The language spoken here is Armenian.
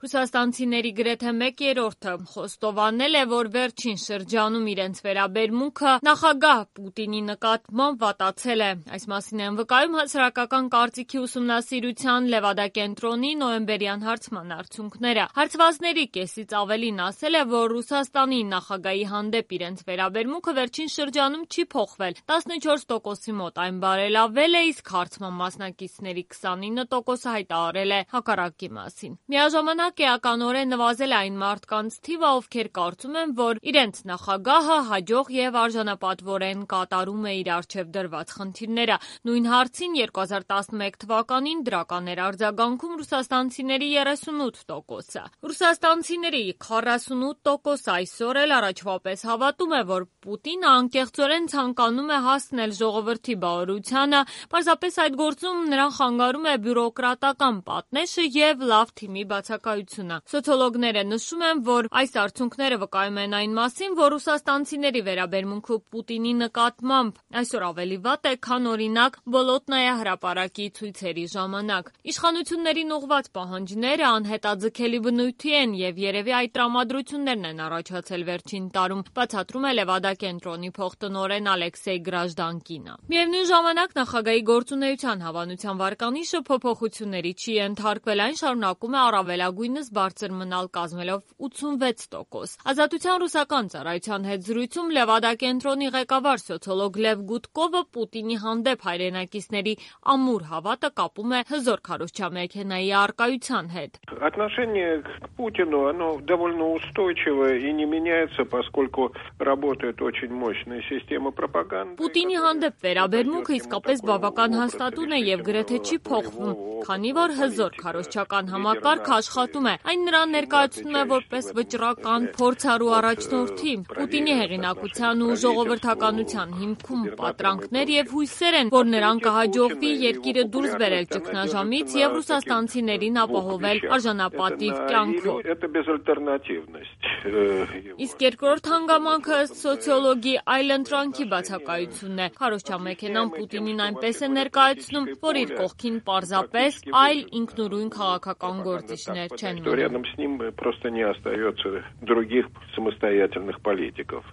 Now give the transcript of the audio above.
Ռուսաստանցիների գրեթե 1/3-ը խոստովանել է, որ վերջին շրջանում իրենց վերաբերմունքը նախագահ Պուտինի նկատմամբ վատացել է։ Այս մասին են վկայում հասարակական կարծիքի ուսումնասիրության Լևադա կենտրոնի նոյեմբերյան հարցման արդյունքները։ Հարցվածների կեսից ավելին ասել է, որ Ռուսաստանի նախագահի հանդեպ իրենց վերաբերմունքը վերջին շրջանում չի փոխվել։ 14%-ի մոտ այն բարելավել է, իսկ հարցման մասնակիցների 29%-ը հայտարարել է հակառակի մասին։ Միաժամանակ էականորեն նվազել է այն մարդկանց թիվը, ովքեր կարծում են, որ իրենց նախագահը հաջող եւ արժանապատվորեն կատարում է իր առջև դրված խնդիրները։ Նույն հարցին 2011 թվականին դրական էր արձագանքում ռուսաստանցիների 38%-ը։ Ռուսաստանցիների 48%-ը այսօր էլ առաջվա պես հավատում է, որ Պուտինը անկեղծորեն ցանկանում է հասնել ժողովրդի բավարարությանը, պարզապես այդ գործում նրան խանգարում է բյուրոկրատական պատնեշը եւ լավ թիմի բացակայությունը։ Սոցիոլոգները նշում են, որ այս արդյունքները վկայում են այն մասին, որ ռուսաստանցիների վերաբերմունքը Պուտինի նկատմամբ այսօր ավելի վատ է, քան օրինակ Բոլոտնայա հրապարակի ցույցերի ժամանակ։ Իշխանություններին ուղղված պահանջները անհետաձգելի բնույթի են եւ երևի այդ տրամադրություններն են առաջացել վերջին տարում, բացատրում է Լևադա կենտրոնի փոխտնօրեն Ալեքսեյ Գրաժդանկինը։ Միևնույն ժամանակ նախագահի գործունեության հավանության վարկանիշը փոփոխությունների չի ենթարկվել, այն շարունակում է առավելագույնս բարձր մնալ, կազմելով 86%։ Ազատության ռուսական ծառայության հետ զրույցում Լևադա կենտրոնի ղեկավար սոցիոլոգ Լև Գուդկովը Պուտինի հանդեպ հայրենակիցների ամուր հավատը կապում է հզոր քարոզչամեքենայի առկայության հետ։ Отношение к Путину, оно довольно устойчивое и не меняется, поскольку работает очень мощная система пропаганды. Պուտինի հանդեպ վերաբերմունքը իսկապես բավական հաստատուն է եւ գրեթե չի փոխվում, քանի որ հզոր քարոզչական համակարգը աշխատում է։ Այն նրան ներկայացնում է որպես վճռական, փորձառու առաջնորդի։ Պուտինի հեղինակության ու ժողովրդականության հիմքում պատրանքներ եւ հույսեր են, որ նրան կհաջողվի երկիրը դուրս բերել ճգնաժամից եւ ռուսաստանցիներին ապահովել արժանապատիվ կյանքով։ Իսկ երկրորդ հանգամանքը սոցիոլոգի այլընտրանքի բացակայությունն է։ Քարոզչամեքենան Պուտինին այնպես է ներկայացնում, որ իր կողքին պարզապես այլ ինքնուրույն քաղաքական գործիչներ չեն մնում։ Рядом с ним просто не остается других самостоятельных политиков.